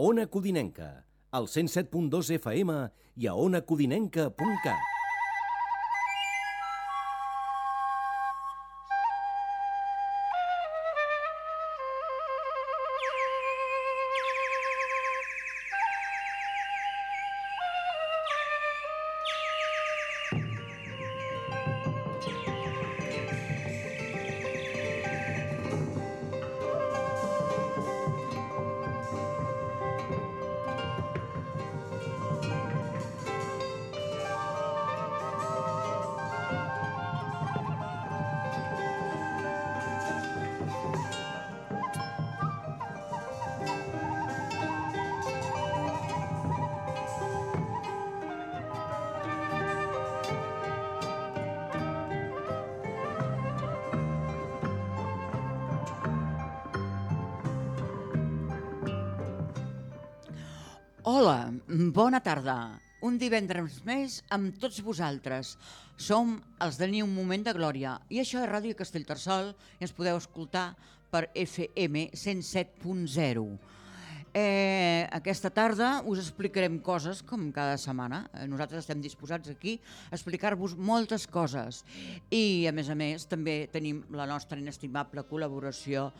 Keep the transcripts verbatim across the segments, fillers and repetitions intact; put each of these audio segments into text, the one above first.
Ona Codinenca, al cent set punt dos F M i a ona codinenca punt cat. Hola, bona tarda. Un divendres més amb tots vosaltres. Som els de Ni un moment de glòria i això és Ràdio Castellterçol i ens podeu escoltar per F M cent set punt zero. Eh, aquesta tarda us explicarem coses com cada setmana. Nosaltres estem disposats aquí a explicar-vos moltes coses i a més a més també tenim la nostra inestimable col·laboració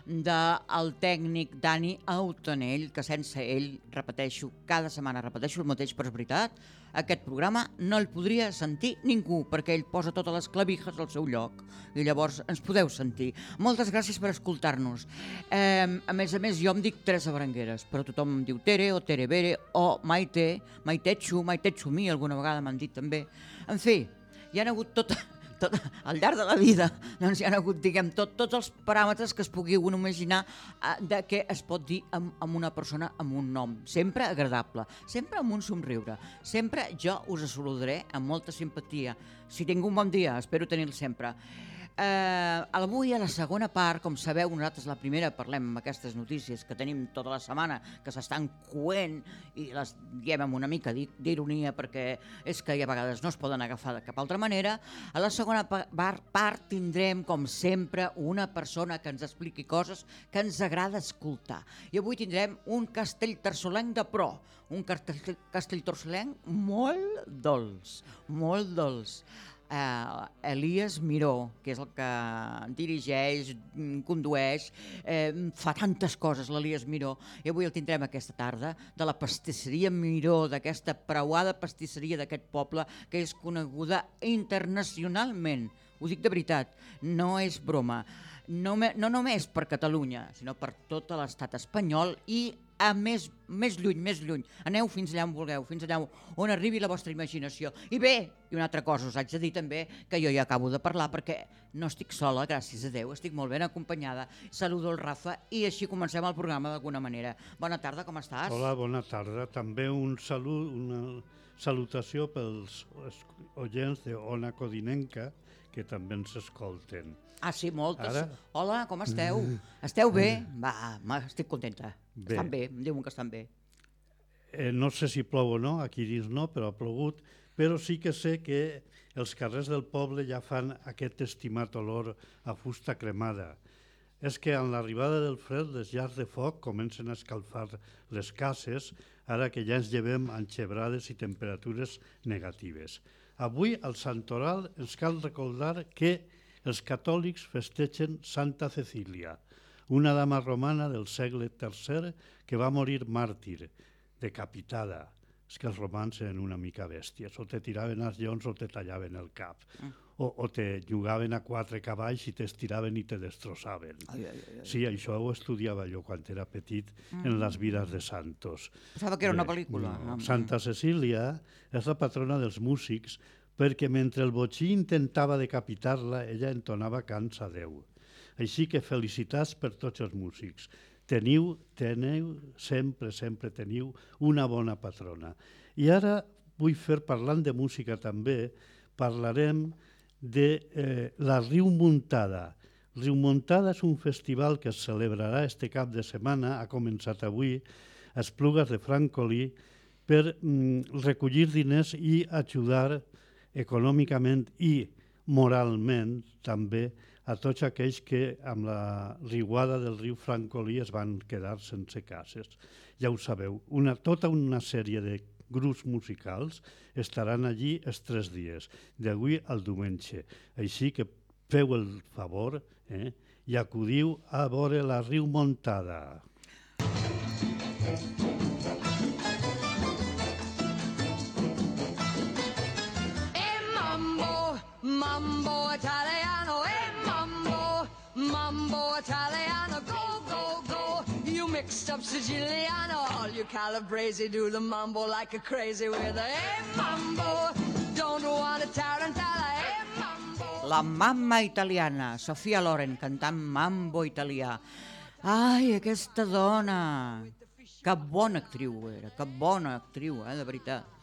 del tècnic Dani Autonell, que sense ell, repeteixo, cada setmana repeteixo el mateix, però és veritat, aquest programa no el podria sentir ningú, perquè ell posa totes les clavijas al seu lloc, i llavors ens podeu sentir. Moltes gràcies per escoltar-nos. Eh, a més a més, jo em dic Teresa Berengueres, però tothom em diu Tere o Tere Bere o Maite, Maitetxu, Maitetxu mi, alguna vegada m'han dit també. En fi, hi ha hagut tota... Tot, al llarg de la vida doncs hi ha hagut, diguem, tot, tots els paràmetres que es pugui un imaginar eh, de què es pot dir amb, amb una persona amb un nom, sempre agradable, sempre amb un somriure, sempre jo us saludaré amb molta simpatia. Si tinc un bon dia, espero tenir-lo sempre. Eh, avui a la segona part, com sabeu, nosaltres la primera parlem amb aquestes notícies que tenim tota la setmana, que s'estan coent i les diem amb una mica d'ironia perquè és que a vegades no es poden agafar de cap altra manera. A la segona part tindrem, com sempre, una persona que ens expliqui coses que ens agrada escoltar. I avui tindrem un castellterçolenc de pro, un castellterçolenc molt dolç, molt dolç. Uh, Elias Miró, que és el que dirigeix, condueix, eh, fa tantes coses l'Elias Miró, i avui el tindrem aquesta tarda, de la pastisseria Miró, d'aquesta preuada pastisseria d'aquest poble que és coneguda internacionalment. Ho dic de veritat, no és broma. No, me, no només per Catalunya, sinó per tot l'estat espanyol i a més, més lluny, més lluny. Aneu fins allà on vulgueu, fins allà on arribi la vostra imaginació. I bé, i una altra cosa, us haig de dir també que jo ja acabo de parlar perquè no estic sola, gràcies a Déu, estic molt ben acompanyada. Saludo el Rafa i així comencem el programa d'alguna manera. Bona tarda, com estàs? Hola, bona tarda. També un salut, una salutació pels oients de Ona Codinenca, que també ens escolten. Ah, sí, moltes. Ara... Hola, com esteu? Esteu bé? Va, estic contenta. Bé. Estan bé, em diuen que estan bé. Eh, no sé si plou o no, aquí dins no, però ha plogut, però sí que sé que els carrers del poble ja fan aquest estimat olor a fusta cremada. És que amb l'arribada del fred les llars de foc comencen a escalfar les cases, ara que ja ens llevem enxebrades i temperatures negatives. Avui, al Santoral, ens cal recordar que els catòlics festegen Santa Cecília, una dama romana del segle tercer que va morir màrtir, decapitada. És que els romans eren una mica bèsties, o te tiraven als lleons o te tallaven el cap, mm. o, o te jugaven a quatre cavalls i t'estiraven i te destrossaven. Ai, ai, ai. Sí, això ho estudiava jo quan era petit mm. en les vides de santos. Pensava que era una pel·lícula. No. Santa Cecília és la patrona dels músics perquè mentre el botxí intentava decapitar-la, ella entonava cants a Déu. Així que felicitats per tots els músics. Teniu, teniu, sempre, sempre teniu una bona patrona. I ara vull fer, parlant de música també, parlarem de eh, la Riu Muntada. Riu Muntada és un festival que es celebrarà este cap de setmana, ha començat avui, a Esplugues de Francolí, per mm, recollir diners i ajudar econòmicament i moralment també a tots aquells que amb la riuada del riu Francolí es van quedar sense cases. Ja ho sabeu, una, tota una sèrie de grups musicals estaran allí els tres dies, d'avui al diumenge. Així que feu el favor eh, i acudiu a veure la Riu Montada. Mambo Italiano, eh, mambo, mambo Italiano, go, go, go. You mixed up Siciliano, all you Calabrese do the mambo like a crazy with a eh, mambo. Don't want a tarantella, eh, mambo. La mamma italiana, Sofia Loren, cantant mambo italià. Ai, aquesta dona! Que bona actriu era, que bona actriu, eh, de veritat.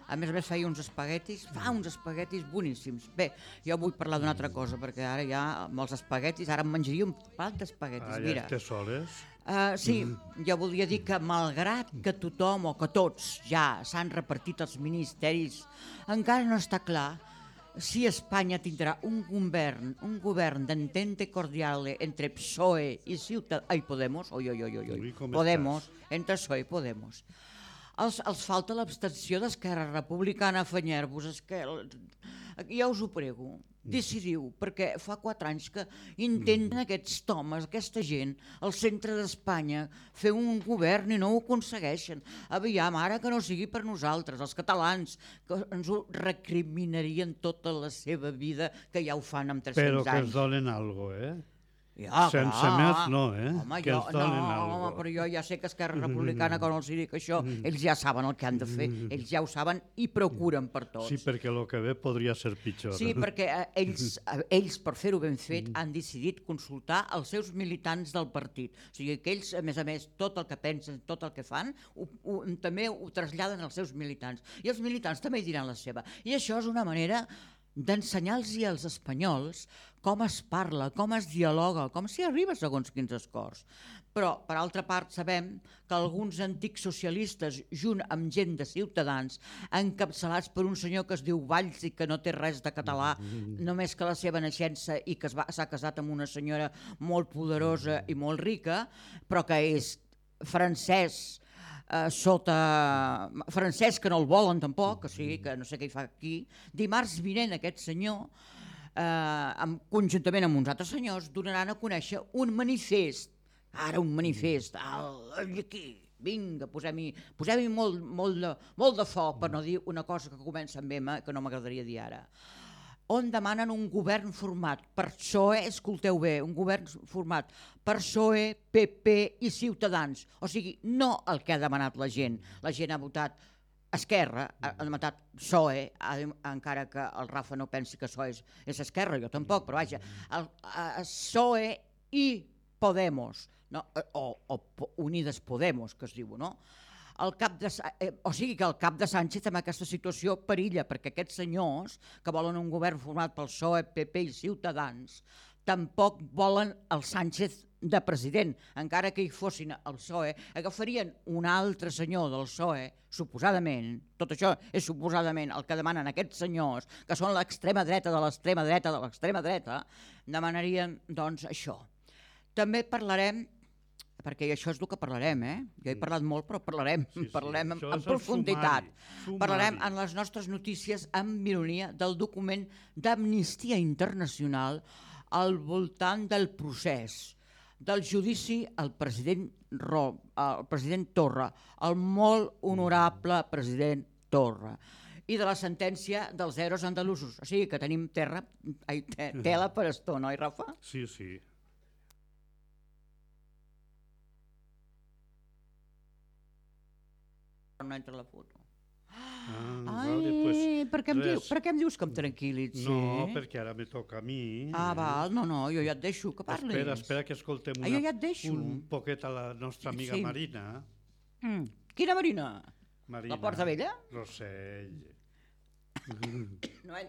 A més a més feia uns espaguetis, fa uns espaguetis boníssims. Bé, jo vull parlar d'una altra cosa, perquè ara ja amb els espaguetis, ara em menjaria un plat d'espaguetis. Ah, Mira. ja te soles? Uh, sí, jo voldria dir que malgrat que tothom o que tots ja s'han repartit els ministeris, encara no està clar si Espanya tindrà un govern, un govern d'entente cordiale entre P S O E i Ciutadans... Ai, Podemos, oi, oi, oi, oi, oi. Podemos, entre P S O E i Podemos. Els, els falta l'abstenció d'Esquerra Republicana, afanyar-vos, Esquerra... Ja us ho prego, decidiu, perquè fa quatre anys que intenten aquests homes, aquesta gent, al centre d'Espanya, fer un govern i no ho aconsegueixen. Aviam, ara que no sigui per nosaltres, els catalans, que ens ho recriminarien tota la seva vida, que ja ho fan amb tres-cents anys. Però que ens donen alguna cosa, eh? Ja, sense clar. més no, eh? Home, que jo, els donen no, alguna home, però jo ja sé que Esquerra Republicana, quan els dic això, ells ja saben el que han de fer, ells ja ho saben i procuren per tots. Sí, perquè el que ve podria ser pitjor. Sí, perquè eh, ells, eh, ells, per fer-ho ben fet, han decidit consultar els seus militants del partit. O sigui que ells, a més a més, tot el que pensen, tot el que fan, ho, ho, també ho traslladen als seus militants. I els militants també hi diran la seva. I això és una manera d'ensenyar-los als espanyols com es parla, com es dialoga, com s'hi arriba segons quins acords. Però, per altra part, sabem que alguns antics socialistes, junt amb gent de Ciutadans, encapçalats per un senyor que es diu Valls i que no té res de català, només que la seva naixença i que s'ha casat amb una senyora molt poderosa i molt rica, però que és francès, Uh, sota francès, que no el volen tampoc, o sigui que no sé què hi fa aquí. Dimarts vinent aquest senyor, uh, amb, conjuntament amb uns altres senyors, donaran a conèixer un manifest, ara un manifest, al, aquí, vinga, posem-hi posem molt, molt, de, molt de foc, per no dir una cosa que comença amb M, que no m'agradaria dir ara, on demanen un govern format per P S O E, escolteu bé, un govern format per P S O E, P P i Ciutadans. O sigui, no el que ha demanat la gent. La gent ha votat Esquerra, ha demanat P S O E, encara que el Rafa no pensi que P S O E és, és Esquerra, jo tampoc, però vaja, el, el P S O E i Podemos, no? o, o Unides Podemos, que es diu, no? El cap de, o sigui que el cap de Sánchez en aquesta situació perilla, perquè aquests senyors que volen un govern format pel P S O E, P P i Ciutadans tampoc volen el Sánchez de president, encara que hi fossin el P S O E, agafarien un altre senyor del P S O E, suposadament, tot això és suposadament el que demanen aquests senyors, que són l'extrema dreta de l'extrema dreta de l'extrema dreta, demanarien doncs això. També parlarem, perquè això és el que parlarem, eh? Jo he parlat molt, però parlarem, sí, sí. parlarem en, en profunditat. Sumari, sumari. Parlarem en les nostres notícies amb ironia del document d'Amnistia Internacional al voltant del procés, del judici al president, Ro, al president Torra, el molt honorable president Torra, i de la sentència dels eros andalusos. O sigui que tenim terra, ai, tela per estona, oi, Rafa? Sí, sí. No entra la foto. Ah, Ai, vale, pues, per, què em diu, per què em dius que em tranquil·litzi? No, perquè ara me toca a mi. Ah, val, no, no, jo ja et deixo que parlis. Espera, espera que escoltem una, ah, jo ja et deixo. un poquet a la nostra amiga sí. Marina. Mm. Quina Marina? Marina? La Porta Vella? Rossell. no,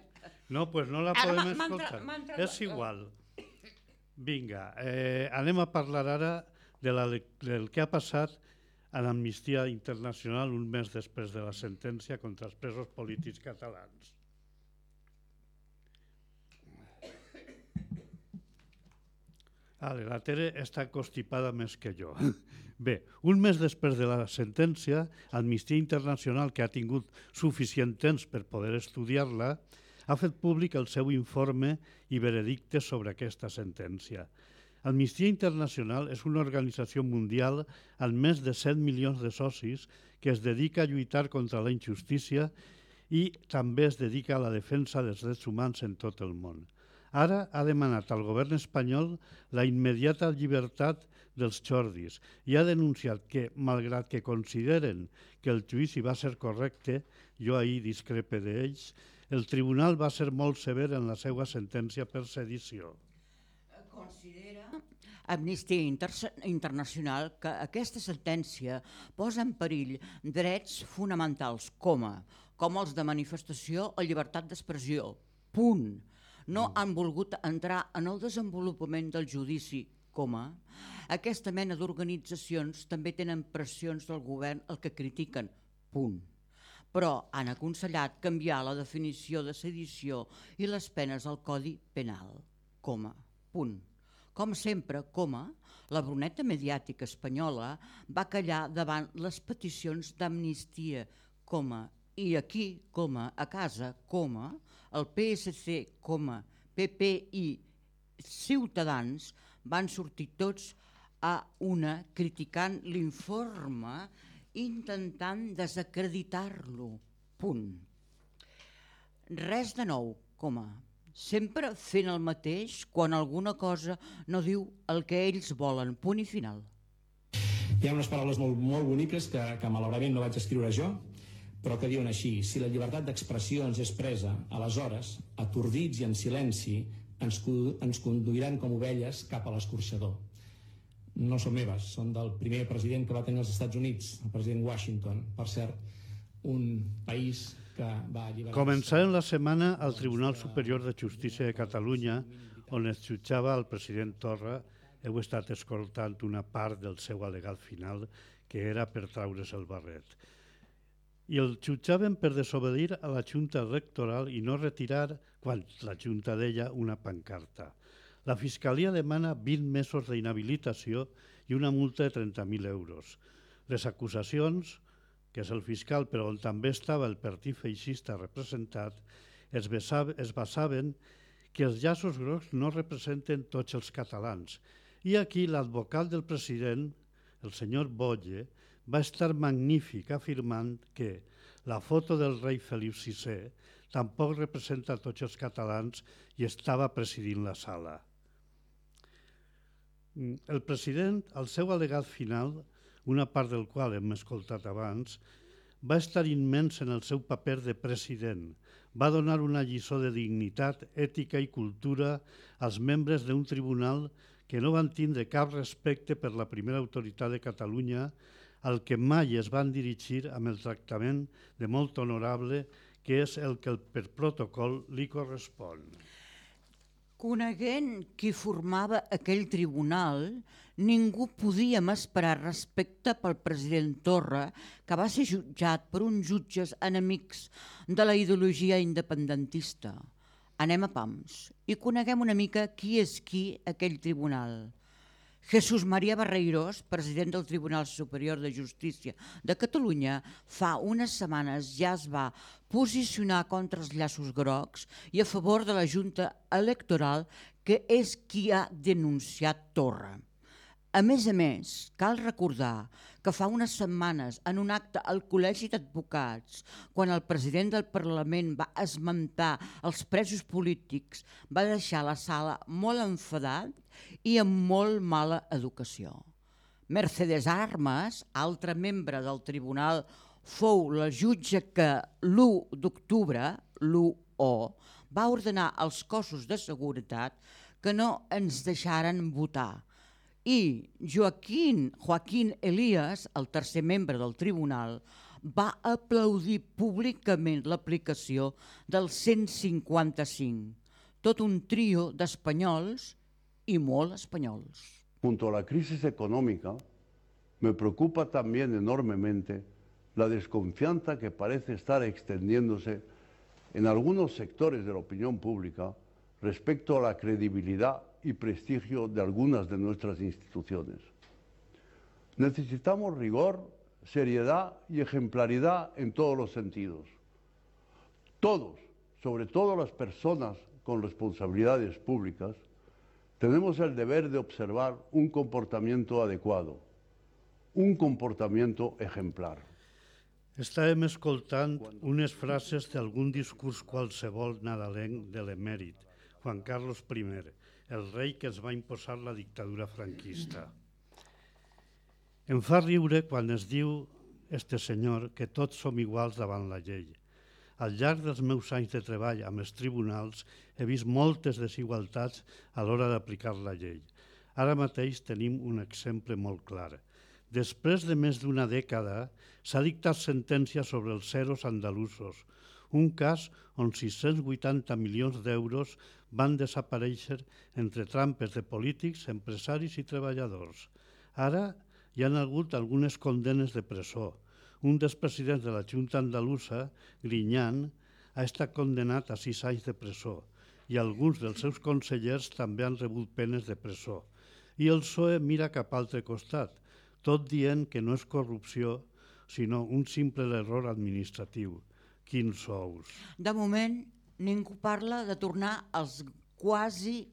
no, pues no la ara podem escoltar. És igual. Vinga, eh, anem a parlar ara de la, del que ha passat a l'Amnistia Internacional un mes després de la sentència contra els presos polítics catalans. Ale, la Tere està constipada més que jo. Bé, un mes després de la sentència, Amnistia Internacional, que ha tingut suficient temps per poder estudiar-la, ha fet públic el seu informe i veredicte sobre aquesta sentència. Amnistia Internacional és una organització mundial amb més de set milions de socis que es dedica a lluitar contra la injustícia i també es dedica a la defensa dels drets humans en tot el món. Ara ha demanat al govern espanyol la immediata llibertat dels xordis i ha denunciat que, malgrat que consideren que el judici va ser correcte, jo ahir discrepe d'ells, el tribunal va ser molt sever en la seva sentència per sedició. Considera Amnistia Internacional que aquesta sentència posa en perill drets fonamentals com, com els de manifestació o llibertat d'expressió. Punt. No han volgut entrar en el desenvolupament del judici, coma. Aquesta mena d'organitzacions també tenen pressions del govern el que critiquen, punt. Però han aconsellat canviar la definició de sedició i les penes al Codi Penal, coma, punt. Com sempre, coma, la bruneta mediàtica espanyola va callar davant les peticions d'amnistia, coma, i aquí, coma, a casa, coma, el P S C, coma, P P i Ciutadans van sortir tots a una criticant l'informe intentant desacreditar-lo. Punt. Res de nou, coma. Sempre fent el mateix quan alguna cosa no diu el que ells volen. Punt i final. Hi ha unes paraules molt, molt boniques que, que malauradament no vaig escriure jo, però que diuen així: si la llibertat d'expressió ens és presa, aleshores, atordits i en silenci, ens, ens conduiran com ovelles cap a l'escorxador. No són meves, són del primer president que va tenir els Estats Units, el president Washington, per cert, un país que va alliberar... Començarem la setmana al Tribunal Superior de Justícia de Catalunya, on es jutjava el president Torra. Heu estat escoltant una part del seu al·legat final, que era per traure's el barret. I el jutjaven per desobeir a la Junta Electoral i no retirar, quan la Junta deia, una pancarta. La Fiscalia demana vint mesos d'inhabilitació i una multa de trenta mil euros. Les acusacions, que és el fiscal, però on també estava el partit feixista representat, es basaven que els llaços grocs no representen tots els catalans. I aquí l'advocat del president, el senyor Boye, va estar magnífic afirmant que la foto del rei Felip sisè tampoc representa tots els catalans i estava presidint la sala. El president, al seu al·legat final, una part del qual hem escoltat abans, va estar immens en el seu paper de president. Va donar una lliçó de dignitat, ètica i cultura als membres d'un tribunal que no van tindre cap respecte per la primera autoritat de Catalunya, al que mai es van dirigir amb el tractament de molt honorable, que és el que per protocol li correspon. Coneguent qui formava aquell tribunal, ningú podia esperar respecte pel president Torra, que va ser jutjat per uns jutges enemics de la ideologia independentista. Anem a pams i coneguem una mica qui és qui aquell tribunal. Jesús María Barreiros, president del Tribunal Superior de Justícia de Catalunya, fa unes setmanes ja es va posicionar contra els llaços grocs i a favor de la Junta Electoral, que és qui ha denunciat Torra. A més a més, cal recordar que fa unes setmanes, en un acte al Col·legi d'Advocats, quan el president del Parlament va esmentar els presos polítics, va deixar la sala molt enfadat i amb molt mala educació. Mercedes Armas, altra membre del tribunal, fou la jutge que l'u d'octubre, l'u o, va ordenar als cossos de seguretat que no ens deixaren votar. I Joaquín, Joaquín Elías, el tercer membre del tribunal, va aplaudir públicament l'aplicació del cent cinquanta-cinc. Tot un trio d'espanyols y molt espanyols. Junto a la crisis económica, me preocupa también enormemente la desconfianza que parece estar extendiéndose en algunos sectores de la opinión pública respecto a la credibilidad y prestigio de algunas de nuestras instituciones. Necesitamos rigor, seriedad y ejemplaridad en todos los sentidos. Todos, sobre todo las personas con responsabilidades públicas, tenemos el deber de observar un comportamiento adecuado, un comportamiento ejemplar. Estàvem escoltant unes frases d'algun discurs qualsevol nadalenc de l'emèrit, Juan Carlos primer, el rei que es va imposar la dictadura franquista. Em fa riure quan es diu, este senyor, que tots som iguals davant la llei. Al llarg dels meus anys de treball amb els tribunals he vist moltes desigualtats a l'hora d'aplicar la llei. Ara mateix tenim un exemple molt clar. Després de més d'una dècada s'ha dictat sentència sobre els ceros andalusos, un cas on sis-cents vuitanta milions d'euros van desaparèixer entre trampes de polítics, empresaris i treballadors. Ara hi ha hagut algunes condenes de presó. Un dels presidents de la Junta Andalusa, Griñán, ha estat condenat a sis anys de presó i alguns dels seus consellers també han rebut penes de presó. I el P S O E mira cap a altre costat, tot dient que no és corrupció, sinó un simple error administratiu. Quins sous! De moment, ningú parla de tornar als quasi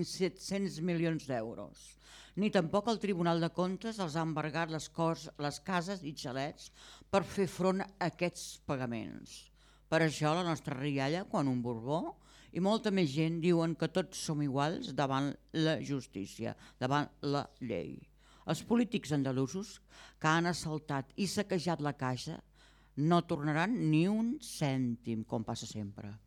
set-cents milions d'euros. Ni tampoc el Tribunal de Comptes els ha embargat les, cos, les cases i xalets per fer front a aquests pagaments. Per això la nostra rialla, quan un Borbó, i molta més gent diuen que tots som iguals davant la justícia, davant la llei. Els polítics andalusos que han assaltat i saquejat la caixa no tornaran ni un cèntim, com passa sempre.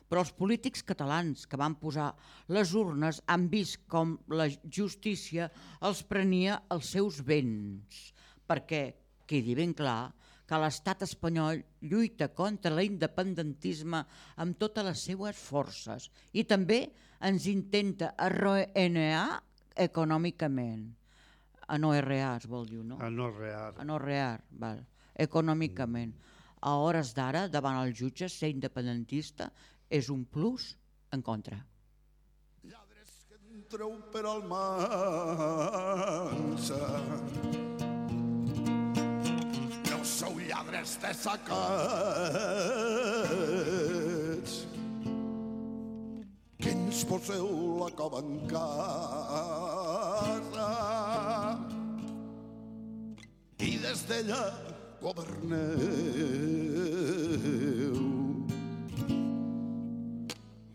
Però els polítics catalans que van posar les urnes han vist com la justícia els prenia els seus béns, perquè quedi ben clar que l'estat espanyol lluita contra l'independentisme amb totes les seues forces i també ens intenta arruïnar econòmicament. Anorrear, es vol dir, no? Anorrear. Anorrear, val. Econòmicament. A hores d'ara, davant els jutges, ser independentista és un plus en contra. Lladres que entreu per Almansa, no sou lladres de sacats, que ens poseu la cova en casa i des d'ella governeu.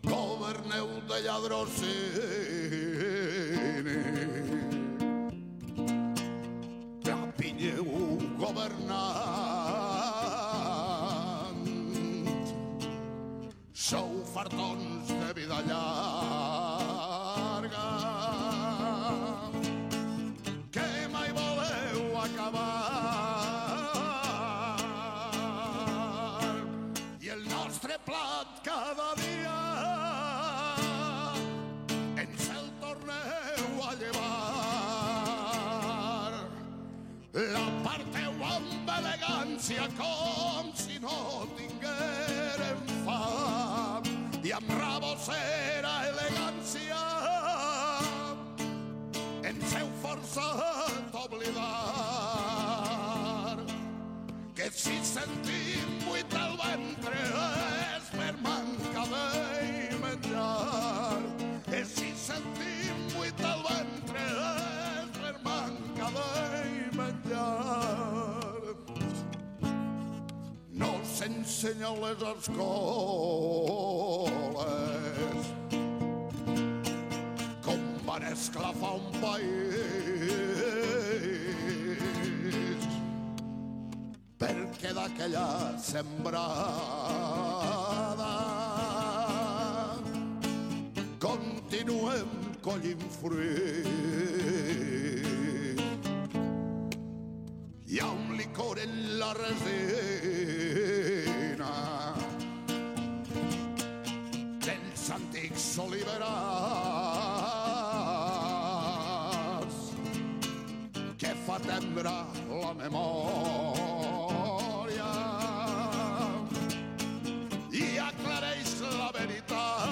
Governeu de lladrocini, rapinyeu governant, sou fartons de vida llarga, que mai voleu acabar, i el nostre plat cada dia ens el torneu a llevar. La parteu amb elegància com si no tinguérem fam, i amb rabosera elegància ens heu forçat a oblidar que si sentim buit el ventre és per manca de menjar, que si sentim buit el ventre és per manca de menjar. No s'ensenyeu les escoles com van esclafar un país, perquè d'aquella sembrada continuem collint fruit. Hi ha un licor en la resina dels antics oliverars que fa tembrar la memòria i aclareix la veritat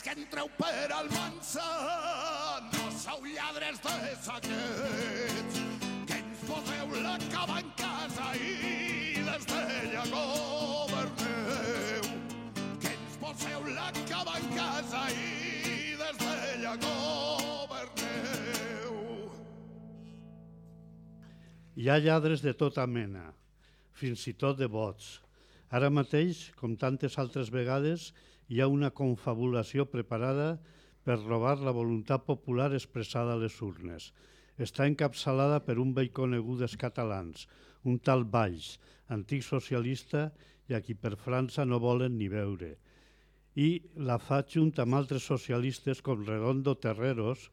els que entreu per Almansa no sou lladres de saquets, que ens poseu la cava en casa i des d'ella governeu, que ens poseu la cava en casa i des d'ella governeu. Hi ha lladres de tota mena, fins i tot de vots. Ara mateix, com tantes altres vegades, hi ha una confabulació preparada per robar la voluntat popular expressada a les urnes. Està encapçalada per un vell conegut dels catalans, un tal Valls, antic socialista i a qui per França no volen ni veure. I la fa junt amb altres socialistes com Redondo Terreros,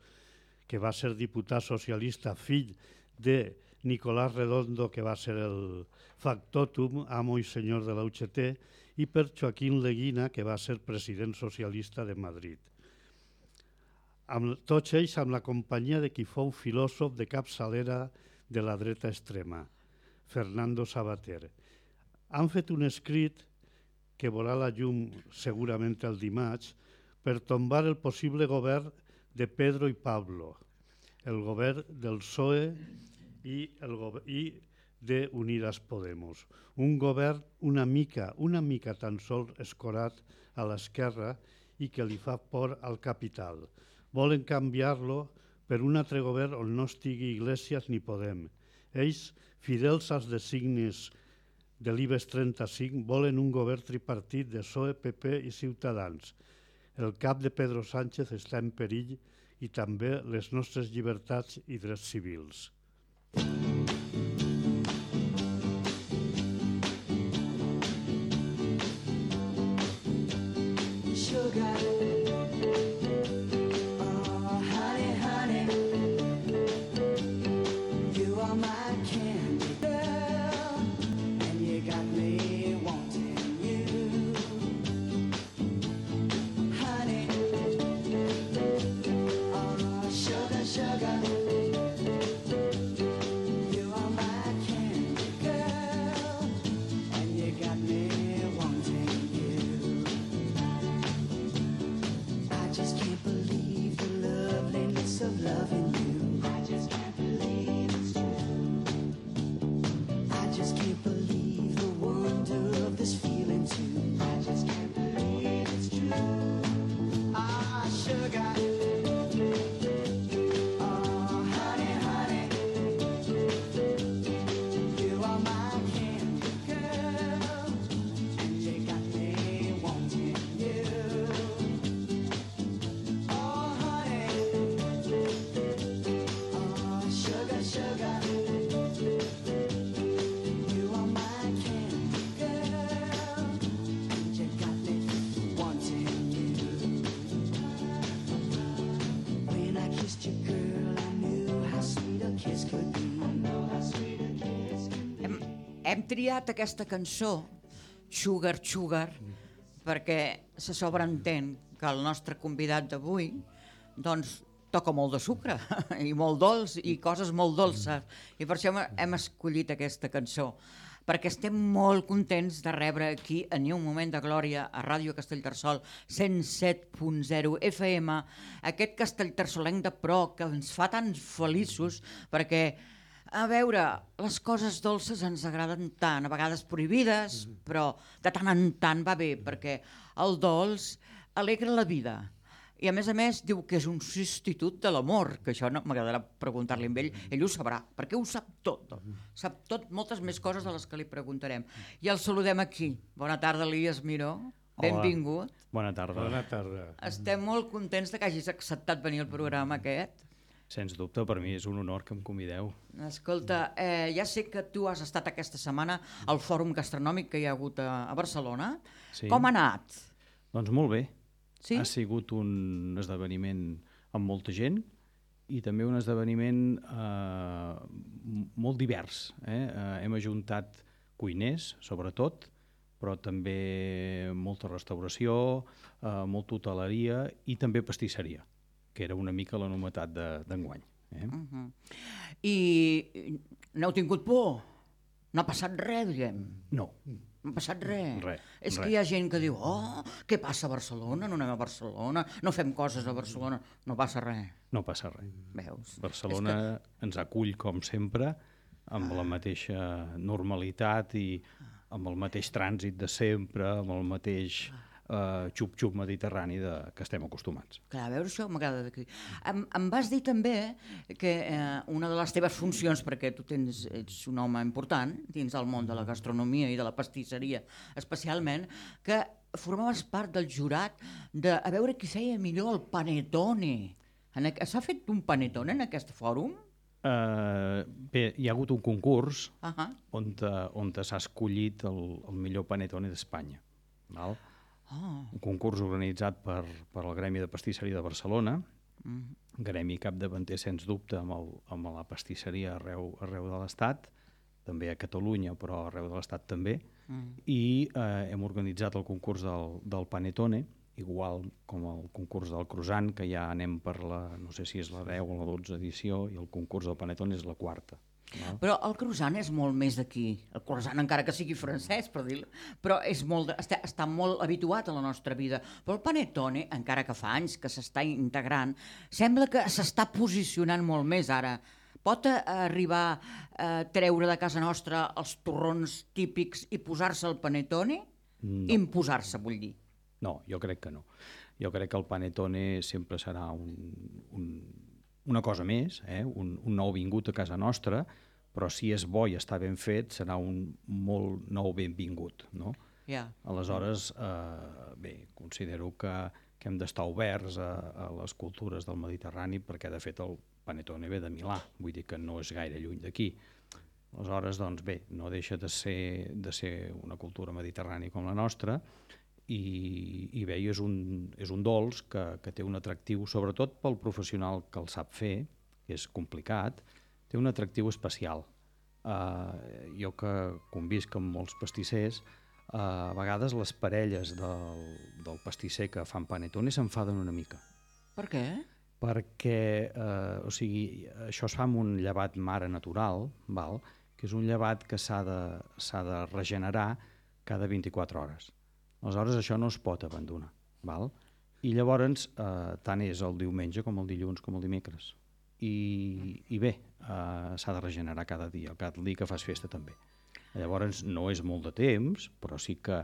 que va ser diputat socialista, fill de Nicolás Redondo, que va ser el factotum, amo i senyor de la U G T, i per Joaquín Leguina, que va ser president socialista de Madrid. Amb, tots ells amb la companyia de qui fou filòsof de capçalera de la dreta extrema, Fernando Savater. Han fet un escrit que veurà la llum segurament el dimarts per tombar el possible govern de Pedro i Pablo, el govern del P S O E i, el go i de Unidas Podemos. Un govern una mica, una mica tan sols escorat a l'esquerra i que li fa por al capital. Volen canviar-lo per un altre govern on no estigui Iglesias ni Podem. Ells, fidels als designis de l'IBEX trenta-cinc, volen un govern tripartit de P S O E, P P i Ciutadans. El cap de Pedro Sánchez està en perill i també les nostres llibertats i drets civils. Sugar, oh honey, honey, you are my candy girl, and you got me wanting you, honey, oh sugar, sugar. Of loving you, I just can't believe it's true. I just can't believe the wonder of this feeling too. I just can't believe it's true. Ah, sugar. Oh, honey, honey, you are my candy girl, and you got me wanting you. Sugar, you are my candy girl, and you got me wanting you. When I kissed you, girl, I knew how sweet a kiss could be. I know how sweet a kiss can be. Hem, hem triat aquesta cançó, Sugar, Sugar, perquè se sobreentén que el nostre convidat d'avui, doncs, toca molt de sucre i molt dolç i coses molt dolces, i per això hem escollit aquesta cançó, perquè estem molt contents de rebre aquí a Ni un moment de glòria a Ràdio Castellterçol cent set punt zero F M aquest castellterçolenc de pro que ens fa tan feliços, perquè a veure, les coses dolces ens agraden tant, a vegades prohibides, però de tant en tant va bé, perquè el dolç alegra la vida. I a més a més diu que és un substitut de l'amor, que això no m'agradarà preguntar-li amb ell, ell ho sabrà, perquè ho sap tot, sap tot, moltes més coses de les que li preguntarem. I el saludem aquí. Bona tarda, Elias Miró, benvingut. Bona tarda. Bona tarda. Estem molt contents de que hagis acceptat venir al programa aquest. Sens dubte, per mi és un honor que em convideu. Escolta, eh, ja sé que tu has estat aquesta setmana al fòrum gastronòmic que hi ha hagut a, a Barcelona. Sí. Com ha anat? Doncs molt bé. Sí? Ha sigut un esdeveniment amb molta gent i també un esdeveniment eh, molt divers. Eh? Eh, hem ajuntat cuiners, sobretot, però també molta restauració, eh, molta hoteleria i també pastisseria, que era una mica la novetat d'enguany. Eh? Uh -huh. I n'heu tingut por? No ha passat res, diguem? No. No ha passat res. Res, És que res. hi ha gent que diu, oh, què passa a Barcelona? No anem a Barcelona, no fem coses a Barcelona. No passa res. No passa res. Veus? Barcelona que... ens acull, com sempre, amb la mateixa normalitat i amb el mateix trànsit de sempre, amb el mateix uh, xup-xup mediterrani de, que estem acostumats. Clar, a veure, això m'agrada d'aquí. Em, em vas dir també que eh, una de les teves funcions, perquè tu tens, ets un home important dins del món de la gastronomia i de la pastisseria especialment, que formaves part del jurat de a veure qui feia millor el panettone. S'ha fet un panettone en aquest fòrum? Uh, bé, hi ha hagut un concurs uh -huh. on, te, on te s'ha escollit el, el millor panettone d'Espanya. Val? Oh. Un concurs organitzat per, per el Gremi de Pastisseria de Barcelona, Mm. gremi capdavanter, sens dubte, amb, el, amb la pastisseria arreu, arreu de l'Estat, també a Catalunya, però arreu de l'Estat també, Mm. i eh, hem organitzat el concurs del, del panettone, igual com el concurs del croissant, que ja anem per la, no sé si és la deu o la dotze edició, i el concurs del panettone és la quarta. No? Però el croissant és molt més d'aquí. El croissant, encara que sigui francès, per dir-ho, però és molt de, està, està molt habituat a la nostra vida. Però el panettone, encara que fa anys que s'està integrant, sembla que s'està posicionant molt més ara. Pot eh, arribar a treure de casa nostra els torrons típics i posar-se el panettone? No. Imposar-se, vull dir. No, jo crec que no. Jo crec que el panettone sempre serà un, un, una cosa més, eh? un, un nou vingut a casa nostra, però si és bo i està ben fet, serà un molt nou benvingut, no? Yeah. Aleshores, eh, bé, considero que, que hem d'estar oberts a, a les cultures del Mediterrani, perquè de fet el panettone ve de Milà, vull dir que no és gaire lluny d'aquí. Aleshores, doncs bé, no deixa de ser, de ser una cultura mediterrània com la nostra, i, i bé, és un, és un dolç que, que té un atractiu, sobretot pel professional que el sap fer, que és complicat, té un atractiu especial. Uh, jo que convisc amb molts pastissers, uh, a vegades les parelles del, del pastisser que fan panettone s'enfaden una mica. Per què? Perquè eh, o sigui, això es fa amb un llevat mare natural, val? Que és un llevat que s'ha de, s'ha de regenerar cada vint-i-quatre hores. Aleshores, això no es pot abandonar. Val? I llavors, eh, tant és el diumenge com el dilluns com el dimecres. I, i bé, eh, s'ha de regenerar cada dia, cada dia que fas festa també. Llavors, no és molt de temps, però sí que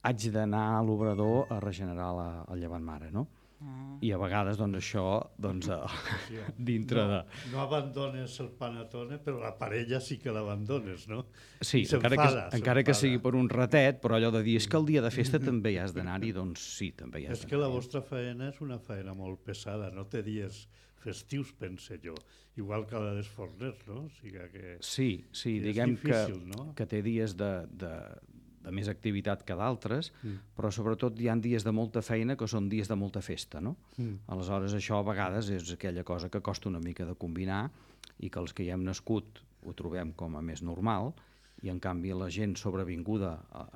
haig d'anar a l'obrador a regenerar la, el llevant mare, no? Mm. I a vegades, doncs, això, doncs, Sí, dintre no, de... No abandones el panettone, però la parella sí que l'abandones, no? Sí, I encara que, s'enfada, encara que s'enfada. sigui per un ratet, però allò de dir, és que el dia de festa també hi has d'anar-hi, doncs sí, també hi has És que la d'anar-hi. vostra feina és una feina molt pesada, no té dies festius, pense jo, igual que la dels forners, no? O sigui que... Sí, sí, és diguem difícil, que, no? que té dies de, de, de més activitat que d'altres, mm. però sobretot hi ha dies de molta feina que són dies de molta festa, no? Mm. Aleshores, això a vegades és aquella cosa que costa una mica de combinar i que els que hi hem nascut ho trobem com a més normal, i en canvi la gent sobrevinguda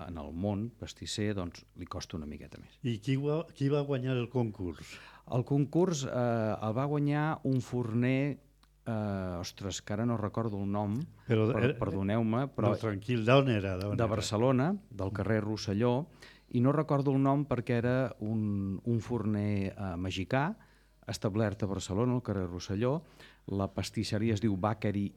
en el món pastisser doncs li costa una miqueta més. I qui va, qui va guanyar el concurs? El concurs eh, el va guanyar un forner, eh, ostres, que ara no recordo el nom, Però, per, perdoneu-me, però no, tranquil, d'on era? D'on de era? Barcelona, del carrer Rosselló, i no recordo el nom perquè era un, un forner eh, mexicà, establert a Barcelona, al carrer Rosselló. La pastisseria es diu Bakery,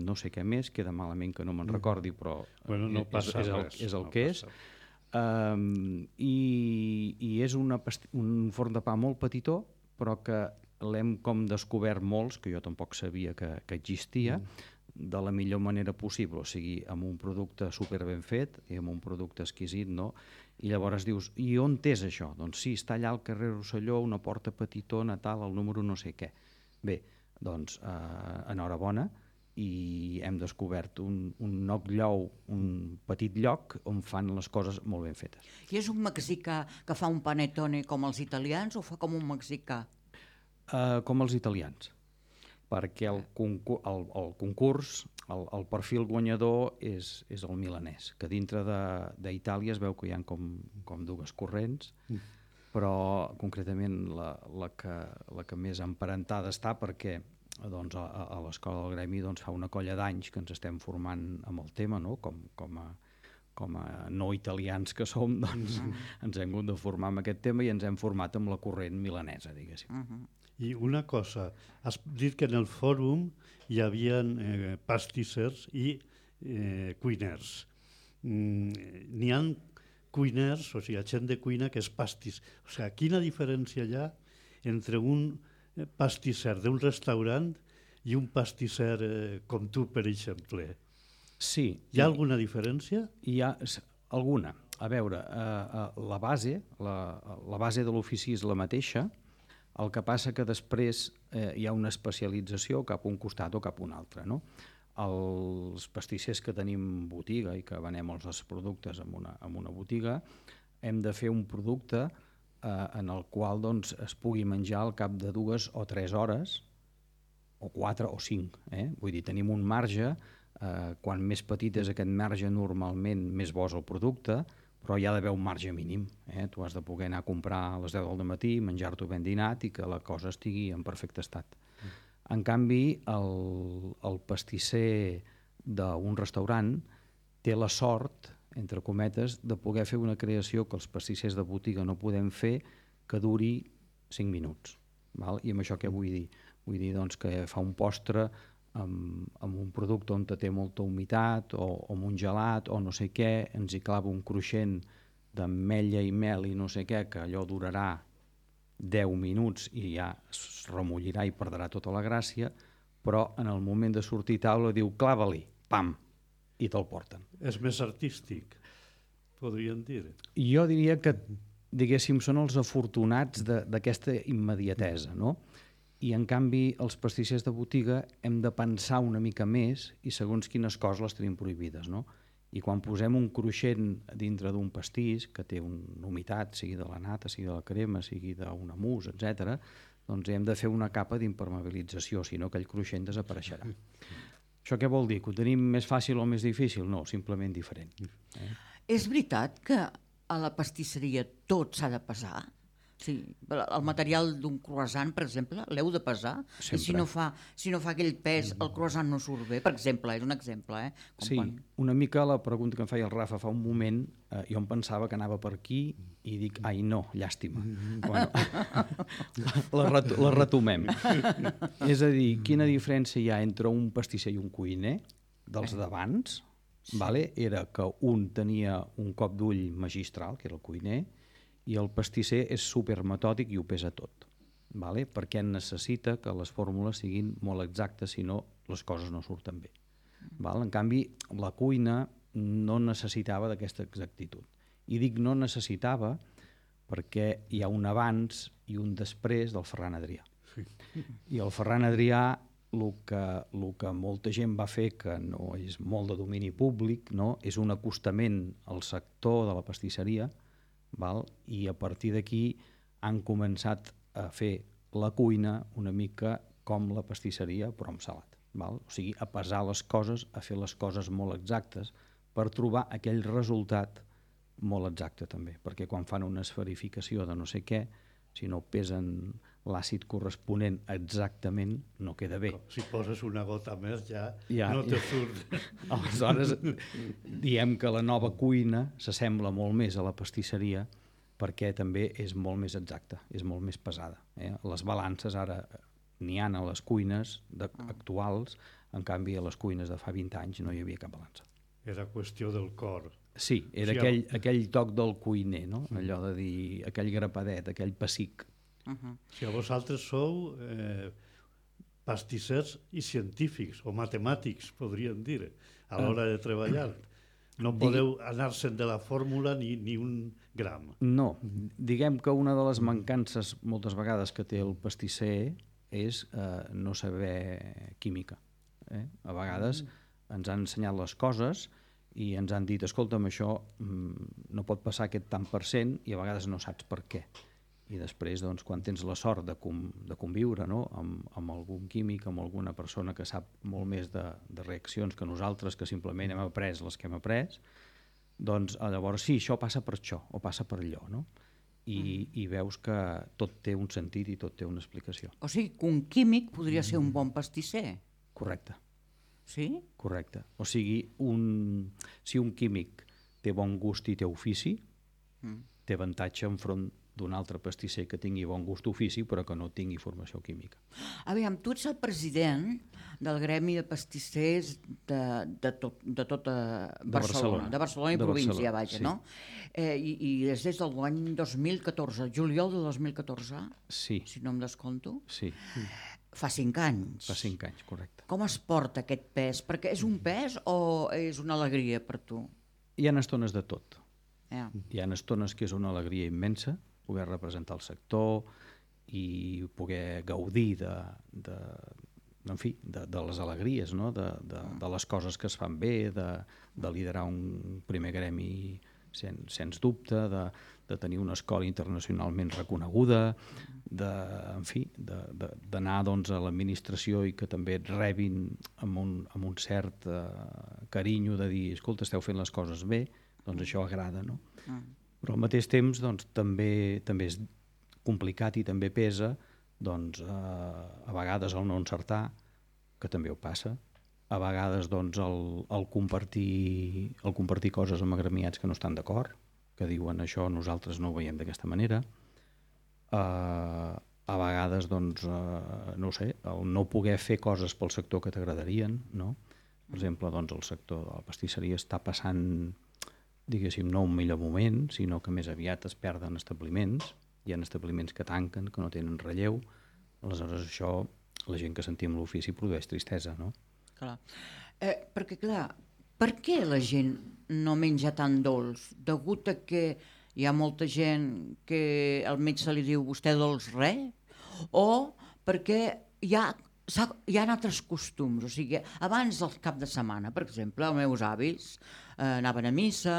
no sé què més, queda malament que no me'n recordi, però Bueno, no és, passa és, el, res, és el no que és. passa. Um, i, i és una pasti- un forn de pa molt petitó, però que l'hem com descobert molts, que jo tampoc sabia que, que existia, mm. de la millor manera possible, o sigui, amb un producte super ben fet i amb un producte exquisit, no? I llavors dius, i on és això? Doncs sí, està allà al carrer Rosselló, una porta petitona, tal, el número no sé què. Bé, doncs, eh, enhorabona, i hem descobert un, un knock llou, un petit lloc on fan les coses molt ben fetes. I és un mexicà que fa un panettone com els italians o fa com un mexicà? Uh, com els italians, perquè el, concur el, el concurs, el, el perfil guanyador és, és el milanès, que dintre d'Itàlia es veu que hi ha com, com dues corrents, mm. però concretament la, la, que, la que més emparentada està perquè doncs, a, a l'Escola del Gremi doncs, fa una colla d'anys que ens estem formant amb el tema, no? com, com, a, com a no italians que som, doncs mm. ens hem hagut de formar amb aquest tema i ens hem format amb la corrent milanesa, diguéssim. Uh -huh. I una cosa, has dit que en el fòrum hi havia eh, pastissers i eh, cuiners. Mm, n'hi ha cuiners, o sigui, gent de cuina que és pastís. O sigui, quina diferència hi ha entre un pastisser d'un restaurant i un pastisser eh, com tu, per exemple? Sí. Hi ha alguna diferència? Hi ha alguna. A veure, eh, la base, la, la base de l'ofici és la mateixa, el que passa que després eh, hi ha una especialització cap a un costat o cap a un altre, no? Els pastissers que tenim botiga i que venem els nostres productes en una, en una botiga, hem de fer un producte eh, en el qual doncs, es pugui menjar al cap de dues o tres hores, o quatre o cinc. Eh? Vull dir, tenim un marge. Eh, quan més petit és aquest marge, normalment més bo és el producte, però hi ha d'haver un marge mínim. Eh? Tu has de poder anar a comprar a les deu del matí, menjar-t'ho ben dinat i que la cosa estigui en perfecte estat. Mm. En canvi, el, el pastisser d'un restaurant té la sort, entre cometes, de poder fer una creació que els pastissers de botiga no podem fer, que duri cinc minuts. Val? I amb això què vull dir? Vull dir doncs, que fa un postre amb, amb un producte on té molta humitat o, o amb un gelat o no sé què, ens hi clava un cruixent d'ametlla i mel i no sé què, que allò durarà deu minuts i ja es remullirà i perdrà tota la gràcia, però en el moment de sortir a taula diu clava-li, pam, i te'l porten. És més artístic, podríem dir. Jo diria que, diguéssim, són els afortunats d'aquesta immediatesa, no? I en canvi els pastissers de botiga hem de pensar una mica més i segons quines coses les tenim prohibides, no? I quan posem un cruixent dintre d'un pastís que té una humitat, sigui de la nata, sigui de la crema, sigui d'un mousse, etcètera, doncs hem de fer una capa d'impermeabilització, si no aquell cruixent desapareixerà. Això què vol dir? Que ho tenim més fàcil o més difícil? No, simplement diferent. Eh? És veritat que a la pastisseria tot s'ha de pesar? Sí, el material d'un croissant, per exemple, l'heu de pesar? Sempre. I si no, fa, si no fa aquell pes, el croissant no surt bé, per exemple, és un exemple. Eh? Com sí, quan... una mica la pregunta que em feia el Rafa fa un moment, eh, jo em pensava que anava per aquí i dic, ai no, llàstima. Bueno, la, ret la retomem. És a dir, quina diferència hi ha entre un pastisser i un cuiner dels d'abans? Vale? Era que un tenia un cop d'ull magistral, que era el cuiner, i el pastisser és supermetòdic i ho pesa tot, vale? Perquè necessita que les fórmules siguin molt exactes, si no les coses no surten bé. Val? En canvi, la cuina no necessitava d'aquesta exactitud. I dic no necessitava perquè hi ha un abans i un després del Ferran Adrià. Sí. I el Ferran Adrià, el que, el que molta gent va fer, que no és molt de domini públic, no? És un acostament al sector de la pastisseria, val? I a partir d'aquí han començat a fer la cuina una mica com la pastisseria, però amb salat. Val? O sigui, a pesar les coses, a fer les coses molt exactes per trobar aquell resultat molt exacte també, perquè quan fan una esferificació de no sé què, si no pesen l'àcid corresponent exactament, no queda bé. Si poses una gota més ja, ja no te surt. Aleshores, diem que la nova cuina s'assembla molt més a la pastisseria perquè també és molt més exacta, és molt més pesada. Eh? Les balances ara n'hi ha a les cuines de, actuals, en canvi a les cuines de fa vint anys no hi havia cap balança. Era qüestió del cor. Sí, era sí, aquell, aquell toc del cuiner, no? Allò de dir, aquell grapadet, aquell pessic. Uh -huh. Si a vosaltres sou eh, pastissers i científics, o matemàtics, podríem dir, a l'hora de treballar. No podeu anar-se'n de la fórmula ni, ni un gram. No, diguem que una de les mancances moltes vegades que té el pastisser és eh, no saber química. Eh? A vegades mm. ens han ensenyat les coses i ens han dit, escolta'm, això mm, no pot passar aquest tant per cent, i a vegades no saps per què. I després, doncs, quan tens la sort de, com, de conviure, no? amb, amb algun químic, amb alguna persona que sap molt més de, de reaccions que nosaltres, que simplement hem après les que hem après, doncs llavors sí, això passa per això, o passa per allò, no? I, mm. i veus que tot té un sentit i tot té una explicació. O sigui, que un químic podria ser un bon pastisser. Correcte. Sí? Correcte. O sigui, un, si un químic té bon gust i té ofici, mm. té avantatge enfront d'un altre pastisser que tingui bon gust ofici però que no tingui formació química. Aviam, tu ets el president del gremi de pastissers de, de, tot, de tota Barcelona, de Barcelona, de Barcelona i de província, Barcelona, vaja, sí. no? Eh, i, I és des de l'any dos mil catorze, juliol de dos mil catorze, sí. si no em descompto. Sí. Fa cinc anys. Fa cinc anys, correcte. Com es porta aquest pes? Perquè és un pes o és una alegria per tu? Hi ha estones de tot. Yeah. Hi ha estones que és una alegria immensa, poder representar el sector i poder gaudir de, de, en fi, de, de les alegries, no? de, de, de les coses que es fan bé, de, de liderar un primer gremi sen, sens dubte, de, de tenir una escola internacionalment reconeguda, de, en fi, d'anar doncs, a l'administració i que també et rebin amb un, amb un cert eh, carinyo de dir, escolta, esteu fent les coses bé, doncs això agrada, no? Mm. Però al mateix temps doncs, també, també és complicat i també pesa doncs, eh, a vegades el no encertar, que també ho passa, a vegades doncs, el, el, compartir, el compartir coses amb agremiats que no estan d'acord, que diuen això nosaltres no ho veiem d'aquesta manera, eh, a vegades doncs, eh, no ho sé, el no poder fer coses pel sector que t'agradarien, no? Per exemple, doncs, el sector de la pastisseria està passant, diguéssim, no un millor moment, sinó que més aviat es perden establiments, hi ha establiments que tanquen, que no tenen relleu, aleshores això, la gent que sentim l'ofici produeix tristesa, no? Clar. Eh, perquè, clar, per què la gent no menja tan dolç? Degut a que hi ha molta gent que al metge li diu vostè dolç res? O perquè hi ha hi ha altres costums, o sigui, abans del cap de setmana, per exemple, els meus avis eh, anaven a missa,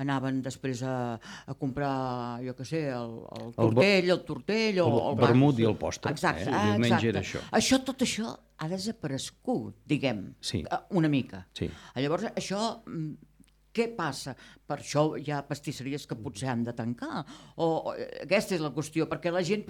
anaven després a, a comprar, jo què sé, el, el tortell, el tortell... O, el, el vermut i el postre. Exacte, eh? El diumenge exacte. era això. Això, tot això ha desaparegut, diguem, sí. una mica. Sí. Llavors, això... Què passa? Per això hi ha pastisseries que potser han de tancar. O, o aquesta és la qüestió, perquè la gent